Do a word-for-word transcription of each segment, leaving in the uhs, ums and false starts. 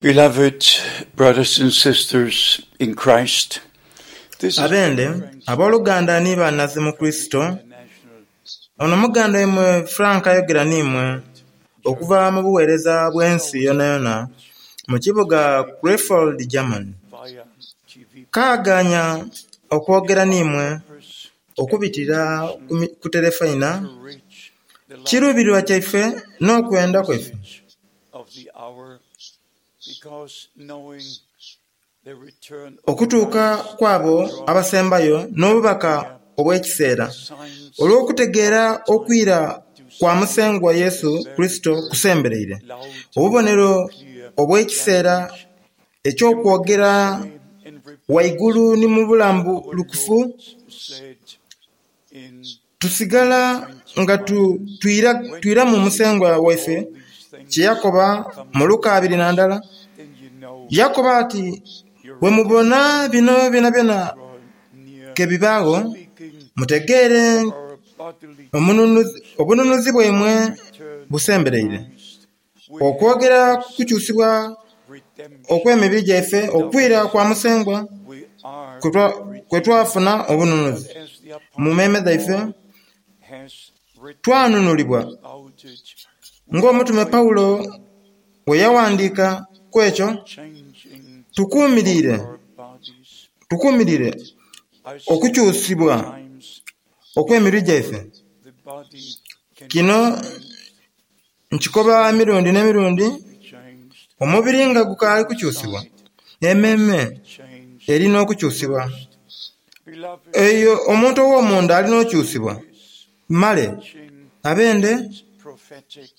Beloved brothers and sisters in Christ, this is Abende abooluganda ni bannaze mu Kurisito, ono muganda waimwe Frank ayogera n'imwe okuva mu buweereza bw'ensi yonayona mu kibuga Krefeld, Germany. via T V Kaaganya okwogera n'imwe okubitira ku mi- ku terefayina, to reach the last kiruubirirwa kyaife n'okwenda kwaife message of the hour, because knowing the return of okutuuka Christ kw'abo abasembayo n'obubaka obw'ekiseera signs olw'okutegeera okwira kwa Musengwa Yesu Kurisito kusembereire. loud Obubonero clear obw'ekiseera eky'okwogera and repeat waigulu ni mu bulambulukufu said in tusigala nga tu, twira, twiramu Musengwa waife these things, kye yakoba mu Luka abiri na ndala. then you know Yakoba ati, bwe mubona bino byonabyona draw near, ke bibaagho, speaking mutegeere our bodily omununuzi, obununuzi bwaimwe return busembereire. Christ with Okwogera kukyusibwa redemption. okw'emibiri gyaife okwira kwa Musengwa We are kwe twa- kwe twafuna obununuzi. as the Mu mmeeme dhaife apostle has written twanunulibwa about it, ng'omutume Pawulo bwe yawandiika ku ekyo changing tukuumirire our bodies. tukuumirire I said okukyusibwa times okw'emibiri gyaife. the body can Kino nkikoba emirundi n'emirundi be changed, omubiri nga gukaali kukyusibwa emmeeme changed. erina okukyusibwa. Beloved, Eyo omuntu ow'omunda alina okukyusibwa. Male teaching abende prophetic.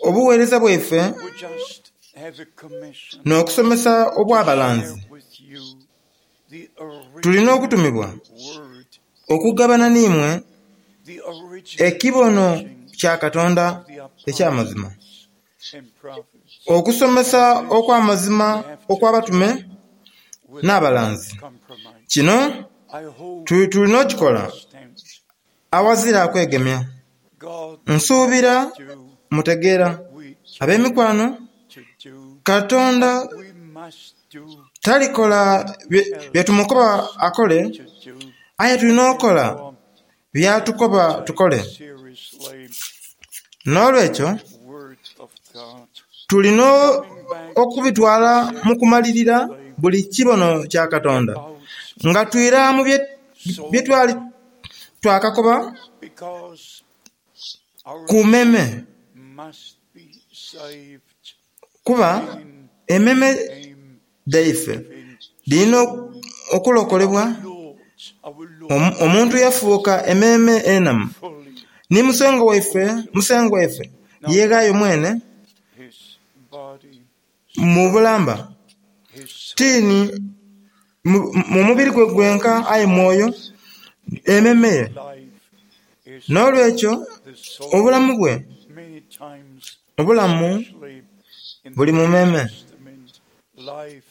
obuweereza bwaife We just have a commission n'okusomesa obw'abalanzi share with you the tulina original okutumibwa word, okugabana n'imwe the original ekibono teaching kya Katonda of the eky'amazima. apostles and prophets Okusomesa okw'amazima okw'abatume without n'abalanzi. compromise. Kino I hope tu- tulina okukikola you understand. awazira akwegemya. God Nsuubira do mutegeera. we Ab'emikwano, to do. Katonda We must do talikola bye bye tumukoba akole, to do. aye tulina okukola by'atukoba tukole. Seriously, N'olwekyo word of God. tulina okubitwala mu kumalirira buli kibono kya Katonda About nga twira mu bye bye twali twakakoba because our ku mmeeme must be saved kuba in emmeeme name dhaife in dhirina okulokolebwa. Lord, our Lord Omu- Omuntu yafuuka emmeeme enamu fully ni Musengwa waife Musengwa waife yeeghaayo mwene his body, mu bulamba his soul, tiini mu mu mubiri gwe gwenka aye mwoyo emmeeme ye. life is N'olwekyo the soul. obulamu bwe Many times, obulamu especially in buli the mu New mmeeme. Testament, life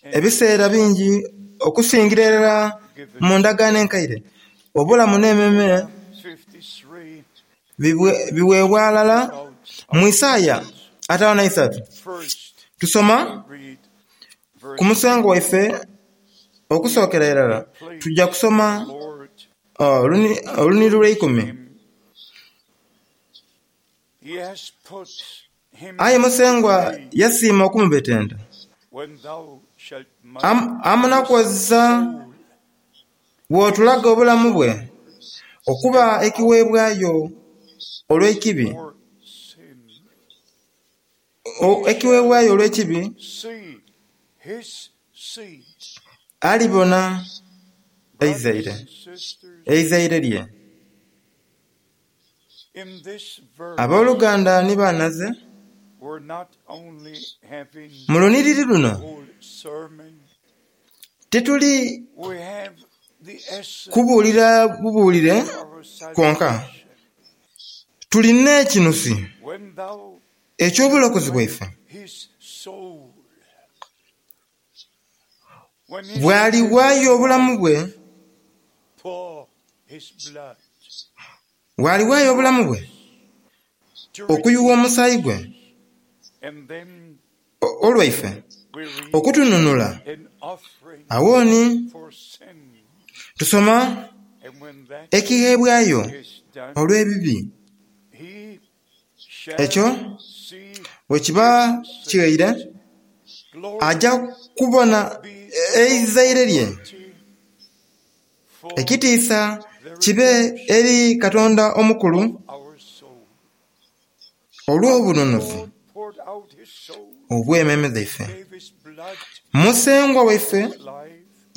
and Ebiseera bingi okusingira irala mu ndagaano enkaire obulamu n'emmeeme fifty-three bibwe- biweebwa alala about mu Isaaya ataano na isatu first tusoma read ku verse Musengwa waife okusookera irala tujja kusoma Lord uh, oluni- oluniri lw'eikumi. him. He has put him Aye Musengwa free yasiima okumubetenta when thou shalt make Am- amunakuwaza soul bw'otulaga obulamu bwe okuba ekiweebwayo olw'ekibi for sin. o- ekiweebwayo olw'ekibi See his seed, alibona brothers eizaire and sisters, eizaire lye. in this verse, Abooluganda ni bannaze we're not only having mu luniriri luno whole sermon, tetuli we have the essence kubuulira bubuulire of our kwonka salvation. tulina ekinusi When thou eky'obulokozi bwaife his soul, when he bw'aliwaayo obulamu bwe pour his blood bw'aliwaayo obulamu bwe to okuyiwa omusaayi gwe and then o- olwaife okutununula. Awo ni tusoma ekigheebwayo olw'ebibi. Ekyo bwe kiba kighaire, aja kubona eizaire lye. Ekitiisa kibe eri Katonda omukulu olw'obununuzi obw'emmeeme dhaife. Musengwa waife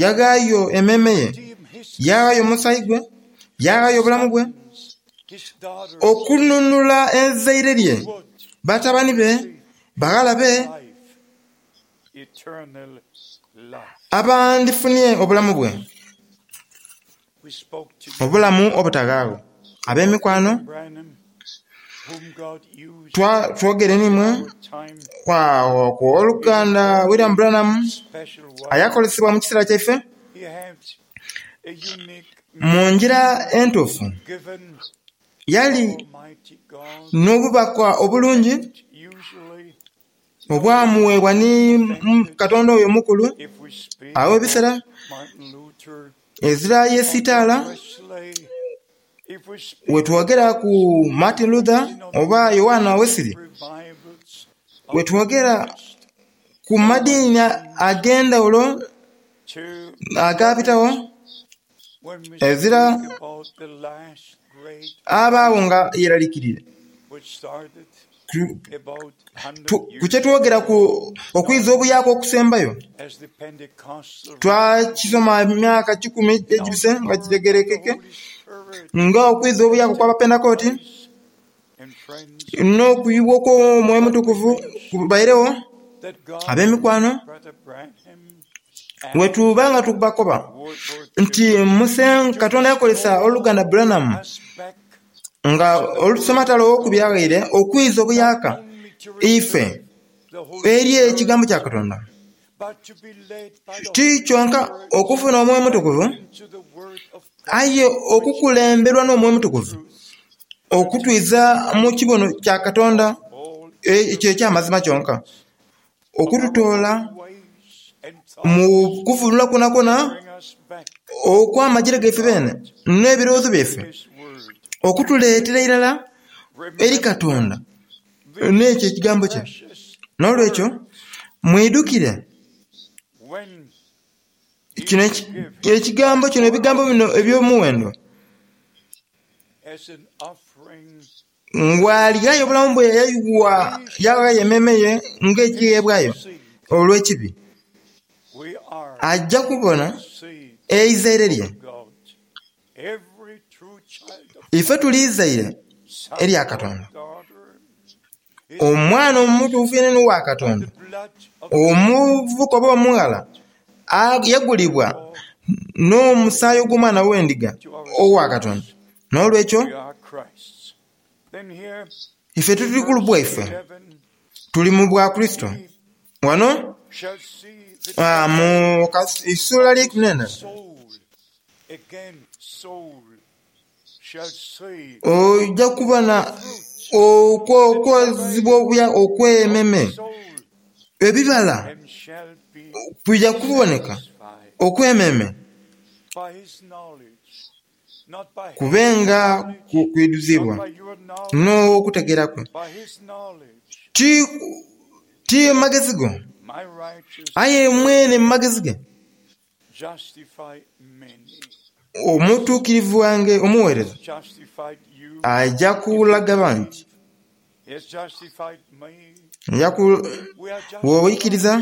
yaghaayo emmeeme ye, yaghaayo omusaayi gwe, yaghaayo obulamu bwe okununula eizaire lye, batabani be, baghala be abandifunye obulamu bwe, obulamu obutaghaagho. Ab'emikwano, twogere n'imwe ku oluganda William Branham ayakolesebwa mu kiseera kyaife mu ngira entuufu. Yali n'obubaka obulungi obwamuweebwa ni Katonda oyo omukulu. Awo ebiseera ezira yesitaala wetwogera ku Martin Luther oba Yohana Wesley, wetwogera ku madiini ag'endhawulo agabitawo, ezira abaagho nga yeralikirire. Ku kyetwogera ku okwiza obuyaaka okusembayo, twakisoma emyaka kikumi egibise nga kitegerekeke nga okwiza obuyaaka okw'Abapentekoti n'okuyibwa okw'Omwoyo Omutukuvu kubairegho. Ab'emikwano, wetuba nga tubakoba nti Musenga Katonda yakolesa oluganda Branham nga olusomatalo ow'okubiri aghaire okwiza obuyaaka ife eri ekigambo kya Katonda. Ti kyonka okufuna Omwoyo Omutukuvu, aye okukulemberwa n'Omwoyo Omutukuvu okutwiza mu kibono kya Katonda ekyo eky'amazima kyonka, okututoola mu kuvunula kwonakwo okw'amagiro gaife bene n'ebirowoozo byaife, okutuleetera irala eri Katonda n'ekyo ekigambo kye. N'olwekyo mwidhukire kino ekigambo kino, ebigambo bino eby'omuwendo. Ng'alighayo obulamu bwe yaghaayo emmeeme ye ng'ekigheebwayo olw'ekibi, aja kubona eizaire lye. Ife tuli izaire erya Katonda. Omwana omutuufu yenene owa Katonda, omuvubuka oba omughala, yagulibwa n'omusaayi ogw'omwana w'endiga owa Katonda. N'olwekyo ife tuli ku bwaife, tuli mu bwa Kurisito. Wano mu isuula lya ikumi n'endala ojja kubona okwozibwa okw'emmeeme, ebibala bija kuboneka okw'emmeeme kubenga kwidhuzibwa n'okutegeera kwe. Ti magezi go, aye mwene mu magezi ge omutuukirivu wange omuweereza aja kulaga bangi. Bw'oikiriza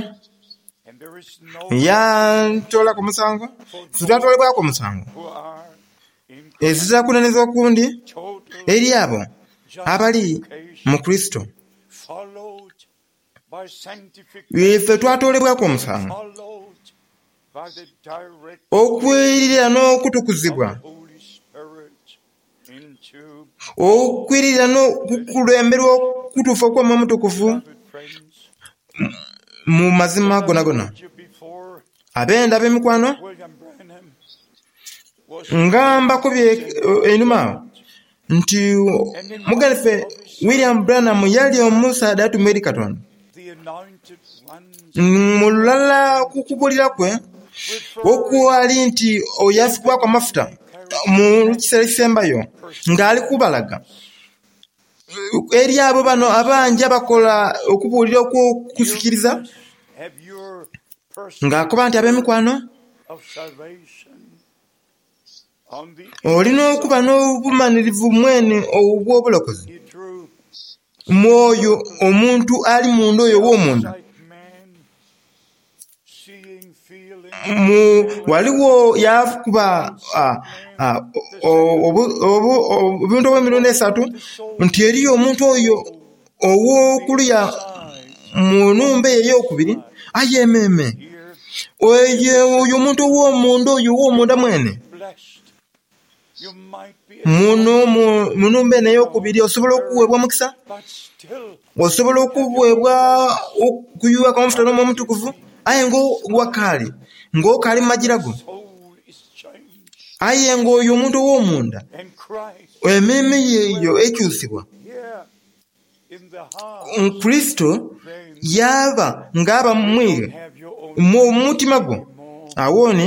yantoolaku omusango, twatwalibwaku omusango. Ezira kunenezebwa okundi eri abo abali mu Kurisito. Ife twatoolebwaku omusango okwiririra n'okutukuzibwa, okwiririra n'okukulemberwa okutuufu okw'Omwoyo Omutukuvu mu mazima gonagona. Abenda ab'emikwano, nga mbakobye einhuma agho nti muganda waife William Branham yali omusaadha atumwa eri Katonda. Mu lulala ku kubuulira kwe okwali nti oyo afukibwaku amafuta mu kiseera ekisembayo ng'ali kubalaga eri abo bano abangi abakola okubuulira okw'okusikiriza ng'akoba nti ab'emikwano olina okuba n'obumanirivu mwene obw'obulokozi mwoyo omuntu ali munda oyo ow'omunda. Waliwo yakuba obuntu obw'emirundi esatu nti eriyo omuntu oyo ow'okuluya mu nhumba eyo ey'okubiri aye ememe oyo omuntu ow'omunda oyo ow'omunda mwene muno mu nhumba eno ey'okubiri osobola okuweebwa omukisa, osobola okuweebwa okuyuwaku amafuta n'Omwoyo Omutukuvu aye nga wakaali ng'okaali mu magira go. Aye ng'oyo omuntu ow'omunda emmeeme ye eyo ekyusibwa Kurisito yaaba ng'aba mu iwe mu mutima gwo. Awo ni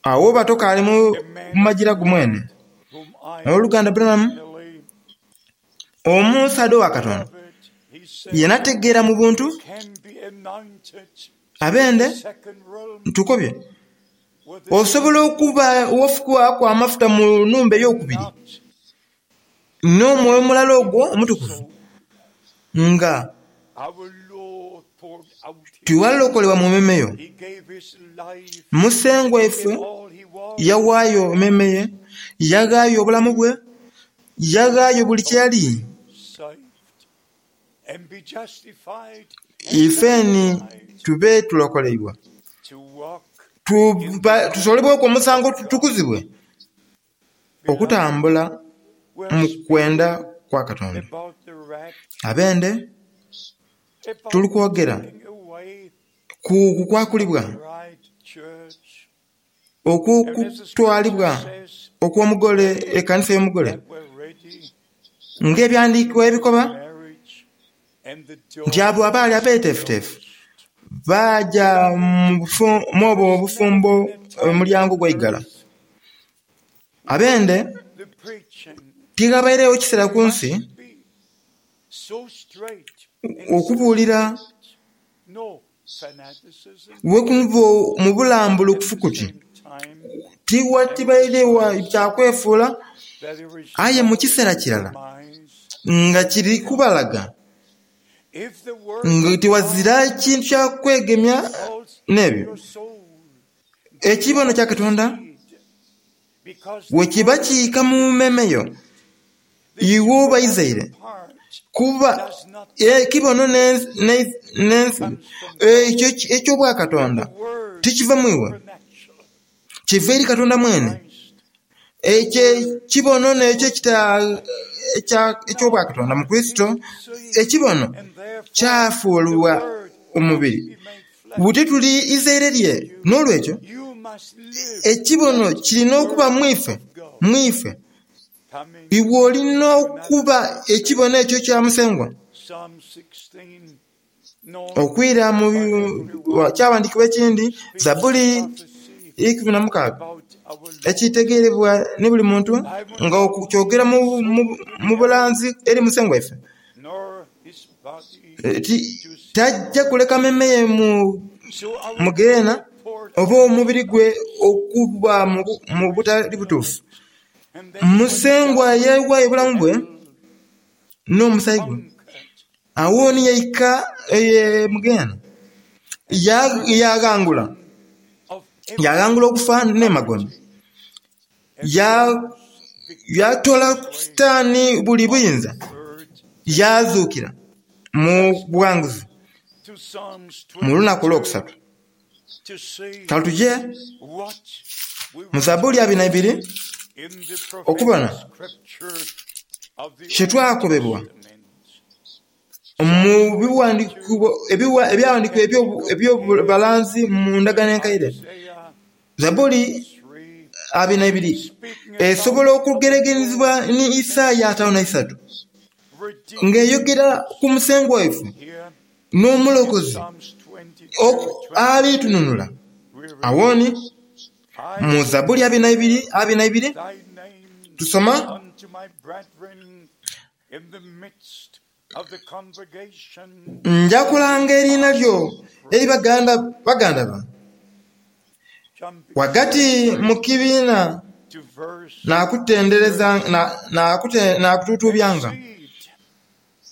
awo oba tokaali mu magira go mwene. Oluganda Branham omusaadha owa Katonda yenategeera mu buntu abende tukobye osobola okuba wafukibwaku amafuta mu nhumba ey'okubiri n'omwoyo omulala ogwo omutukuvu nga tiwalokolebwa mu mmeeme yo. Musengwa ife yawaayo emmeeme ye, yaghaayo obulamu bwe, yaghaayo buli kye yali. Ifeni tube tulokoleibwa, tusolebweku omusango tutukuzibwe okutambula mu kwenda kwa Katonda. Abende tuli kwogera ku kukwakulibwa okw'okutwalibwa okw'omugole ekanisa y'omugole ng'ebyandiikibwa ebikoba nti abo abaali abeeteefuteefu baaja mu obwo obufumbo omulyango gwaigala. Abende tighabairegho kiseera ku nsi okubuulira wekunva mu bulambulukufu kuti tiwatibairegho kya kwefuula aye mu kiseera kirala nga kiri kubalaga nga tiwazira kintu kya kwegemya n'ebyo. Ekibono kya Katonda wekiba kiika mu mmeeme yo iwe oba izaire kuba ekibono n'ensi ekyo eky'obwakatonda tikiva mu iwe kiva eri Katonda mwene. Ekyo ekibono n'ekyo eky'obwakatonda mu Kurisito ekibono kyafuulibwa omubiri buti tuli izaire lye. N'olwekyo ekibono kirina okuba mu ife mu ife iwe olina okuba ekibono ekyo kya Musengwa. Okwira mu kyawandiikibwa ekindi Zabbuli ikumi na mukaaga ekitegeerebwa ni buli muntu nga kyogera mu bulanzi eri Musengwa ife tajja kuleka mmeeme ye mu geena oba omubiri gwe okuba mu butali butuufu. Musengwa yawaayo obulamu bwe n'omusaayi gwe awo ni yaika mu geena yaghangula yaghangula okufa n'emagombe yatoola Sitaani buli buyinza yazuukira mu bughanguzi mu lunaku olwokusatu. Kale tuje mu Zabbuli abiri na ibiri okubona kyetwakobebwa mu ebyawandiikibwa eby'obulanzi mu ndagaano enkaire. Zabbuli abiri na ibiri esobola okugeregerezebwa ni Isaaya ataano na isatu ng'eyogera ku Musengwa waife N'omulokozi Psalms twenty-two, alitununula. we read, Awoni I mu Zabuli abiri na ibiri abiri na ibiri thy name tusoma unto my brethren in the midst of the congregation. nja kulanga eriina lyo eri baganda baganda ba Jumping wagati mu kibiina to verse nakutendereza na- nakute- nakutuutuubyanga seed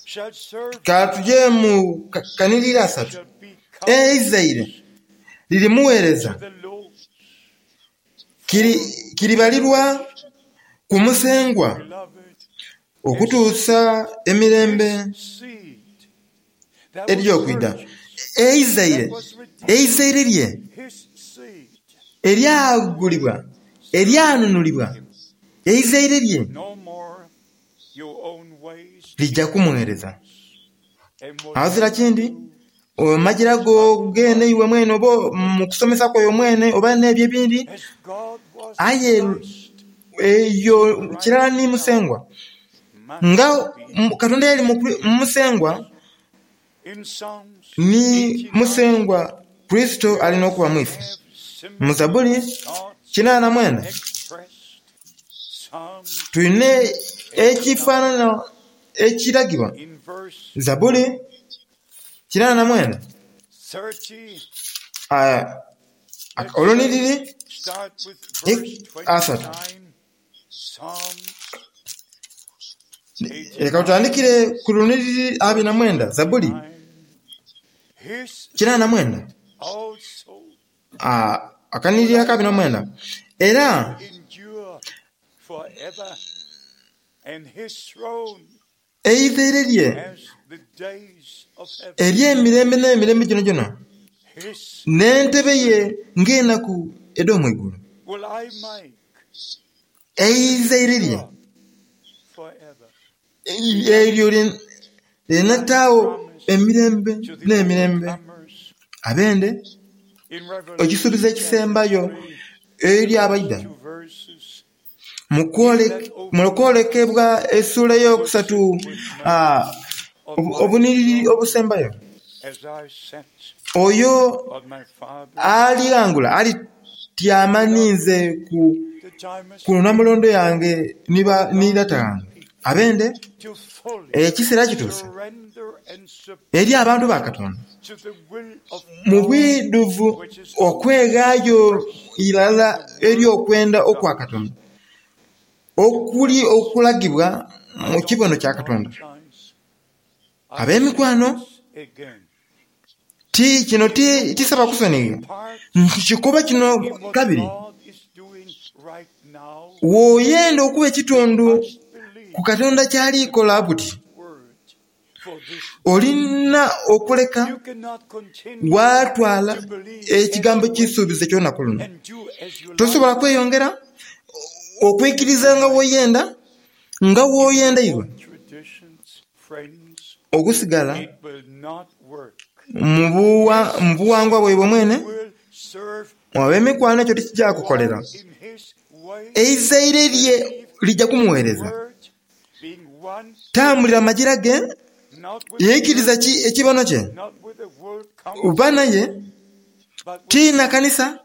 shall serve ka tuje mu ka- kanirira asatu shall be eizaire lirimuweereza the Lord. kiri kiribalirwa ku musengwa Beloved, okutuusa emirembe seed that was ery'okwida purchased, eizaire eizaire lye his seed, eryagulibwa eryanunulibwa eizaire lye no more your own ways lijja kumuweereza and what awazira kindi omajira go gene iwe mwene oba mu kusomesa kwoyo mwene oba n'ebyo ebindi as God was aye in Christ eyo kirala ni musengwa must nga be mu- Katonda yali mu Kri- mu musengwa in Psalms ni eighty-nine musengwa Kristo alina okuba mwife have similar mu Zabuli thoughts kinaana mwenda expressed. Psalms tulina ekifaanana ekiragibwa in verse Zabuli kinaana mwenda thirty, ah, oluniriri start with Ik- verse asatu twenty-nine. Psalms leka tutandikire ku luniriri abiri na mwenda Zabuli nine. His kinaana mwenda also Ah, akaniriri akabiri na mwenda era endure forever, and his throne eizaire lye as the days of heaven. ery'emirembe n'emirembe gino gyona His n'entebe ye ng'enaku ed'omwigulu will I make eizaire lye forever. eryo lye- linataawo emirembe To the n'emirembe overcomers abende in ekisuubizo Revelation ekisembayo chapter eri abaida three, two verses, mu kwole- mu kwolekebwa essuula ey'okusatu ah, obu- obuniriri obusembayo as I sat oyo on my father's alighangula alityama ninze ku the time has ku namulondo yange niba ni lata yange abende to fully ekiseera kituuse surrender and submit eri abantu ba Katonda to the will of mu God, bwidhuvu which is okweghaayo irala eri okwenda okwa Katonda okuli okulagibwa mu kibono kya Katonda apologize. I ab'emikwano say this again. ti kino ti tisaba kusonyiga Part nkikuba kino in what kabiri God is doing right now, w'oyenda okuba ekitundu must believe ku Katonda ky'alikola buti word for this. olina okuleka You cannot continue waatwala to believe as ekigambo you wish ky'ekisuubizo ky'olunaku luno and do as you like. tosobola kweyongera okwikiriza nga w'oyenda nga w'oyenda iwe Old traditions, friends, okusigala it will not work. mu buwa- mu buwangwa bwaibwe mwene Will serve ab'emikwano ekyo tekijja kukolera walk in his way, eizaire lye lijja kumuweereza word, being one, tambulira magira ge not with yeikiriza ki ekibono kye not with the world council, oba naye but with tiina kanisa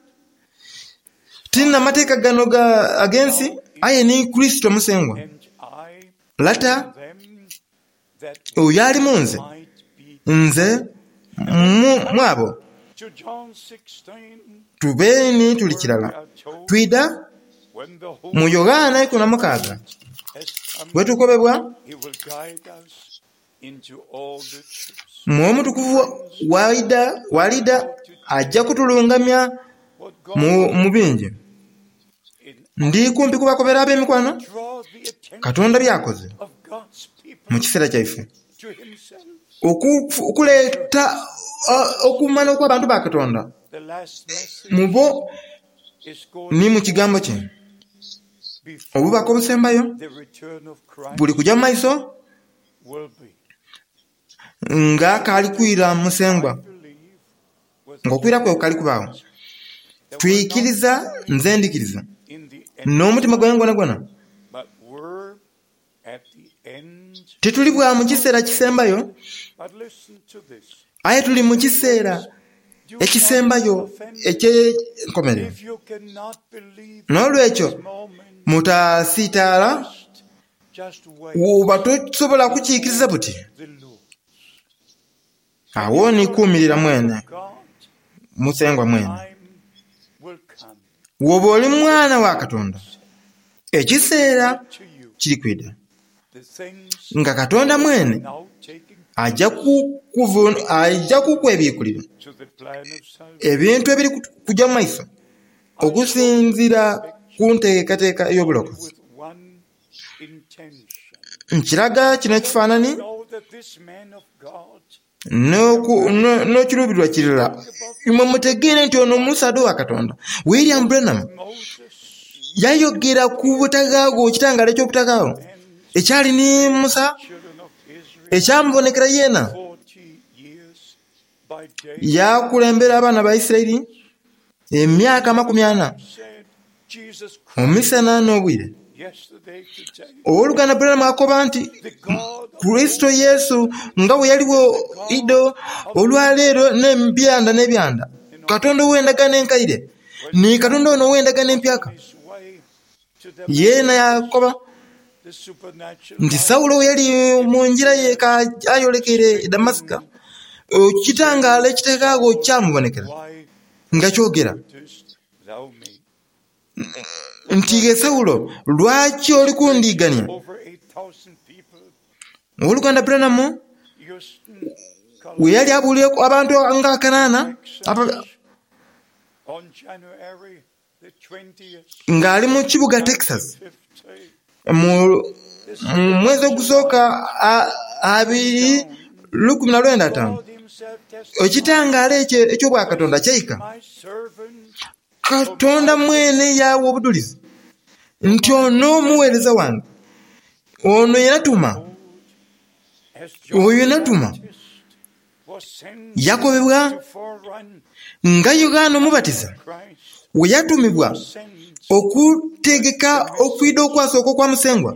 tiina mateeka gano ga ag'ensi aye ni Kristo musengwa and I lata them that oyo ali mu nze might be nze mu mu abo to John sixteen tubeeni tuli where we kirala are told twida when the mu Holy Yogaana ikumi na mukaaga has come, wetukobebwa he will guide us into all the truth. mwoyo mutukuvu walida walida ajja kutulungamya What God mu, mu bingi in ndi kumpi kubakobera ab'emikwano draw the attention Katonda by'akoze of God's people mu kiseera kyaife to himself. Oku- okuleeta uh, okumanya okw'abantu ba Katonda The last message mu bo is going ni mu kigambo kye before obubaka obusembayo the return of Christ buli kujja mu maiso will be. nga kaali kwira musengwa I believe with ng'okwira kwe kali kubaawo that we're not twikiriza nze ndikiriza in the end, n'omutima gwange gwona gwona but we're at the end. tetuli bwa mu kiseera kisembayo But listen to this. Aye tuli mu kiseera ekisembayo eky'enkomerero. N'olwekyo mutasiitaala oba tosobola kukiikiriza buti. Awo ni kuumirira mwene, Musengwa mwene. Woba oli mwana wa Katonda, ekiseera kiri kwida nga Katonda mwene ajja ajja kukwebikulira ebintu ebiri kujja mu maiso okusinziira ku nteekateeka ey'obulokozi. Nkiraga kino ekifaananyi n'ekiruubirirwa kirala. Imwe mutegeere nti ono omusaadha wa Katonda William Branham yayogera ku butaghaagho, ekitangaala eky'obutaghaagho ekyali ni Musa, ekyamubonekera yeena. Yakulembera abaana ba Isiraeli emyaka amakumi ana omusana n'obwire. Ow'oluganda Branham akoba nti Kurisito Yesu nga bwe yaligho idho olwaleero n'ebyanda n'ebyanda, Katonda ow'endagaano enkaire ni Katonda ono ow'endagaano empyaka. Yeena yakoba nti Sawulo bwe yali mu ngira ye ayolekeire e Damasika, ekitangaala ekitaghaagho kyamubonekera nga kyogera nti, "Ghe Sawulo, lwaki oli kundiigania?" Ow'oluganda Branham we yali abuulireku abantu nga kanaana ng'ali mu kibuga Texas mu mwezi ogusooka abiri lukumi na lwenda ataanu, ekitangaala ekyo eky'obwakatonda kyaika. Katonda mwene yawa obudulizi nti ono omuweereza wange, ono yenatuma, oyo yenatuma. Yakobebwa nga Yoghana Omubatiza we yatumibwa okutegeka okwidha okwasooka okwa Musengwa,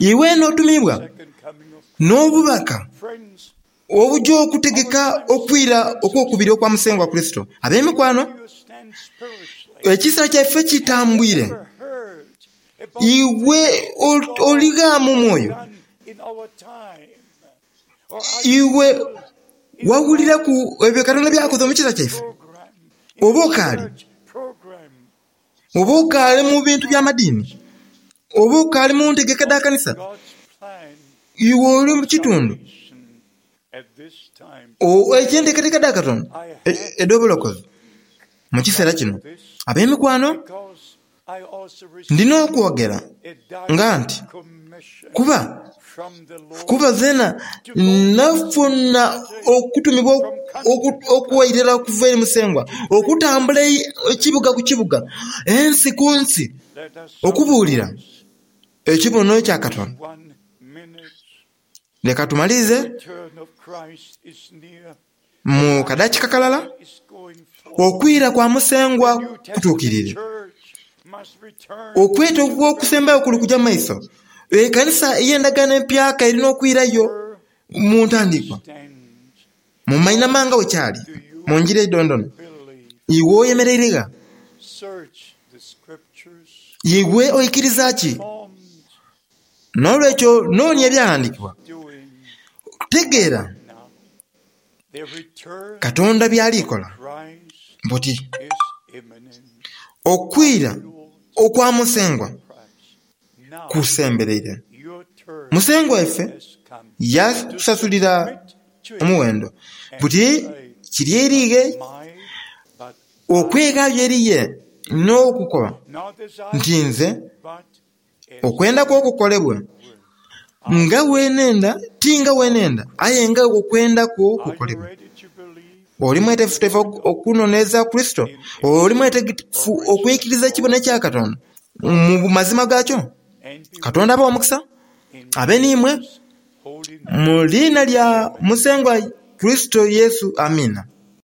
iwe n'otumibwa n'obubaka obujja okutegeka okwira okw'okubiri okwa Musengwa Kurisito. Ab'emikwano, ekiseera kyaife kitambwire. Iwe oligha mu mwoyo? Iwe wawuliraku ebyo Katonda by'akoze mu kiseera kyaife? Oba okaali? Oba okaali mu bintu by'amadiini? Oba okaali mu ntegeka dha kanisa? Iwe oli mu kitundu eky'enteekateeka dha Katonda edh'obulokozi mu kiseera kino. Ab'emikwano, ndina okwogera nga nti kuba kuba zeena nafuna okutumibwa okuwairira okuva eri Musengwa okutambula ekibuga ku kibuga, ensi ku nsi, okubuulira ekibono kya Katonda. Leka tumalirize mu kadakika kalala. Okwira kwa Musengwa kutuukirire. Okweta okw'okusembayo kuli kuja mu maiso. Ekanisa ey'endagaano empyaka erina okwirayo mu ntandikwa, mu mainhama nga bwe kyali mu ngira eidondono. Iwe oyemereire gha? Iwe oikiriza ki? N'olwekyo noonia Ebyawandiikibwa, tegeera Katonda by'ali kola buti. Okwira okwa Musengwa kusembereire. Musengwa waife yatusasulira omuwendo buti kiri eri ghe okweghaayo eri ye n'okukoba nti nze okwenda kwo kukolebwe nga bwe nenda, ti nga bwe nenda, aye nga okwenda kwo kukolebwe. Oli mwetegefutegefu okunonereza Kurisito? Oli mwetegefu okwikiriza ekibono ekya Katonda mu mazima gaakyo? Katonda abawe omukisa, abe n'imwe, mu liina lya Musengwa Kurisito Yesu. Amiina.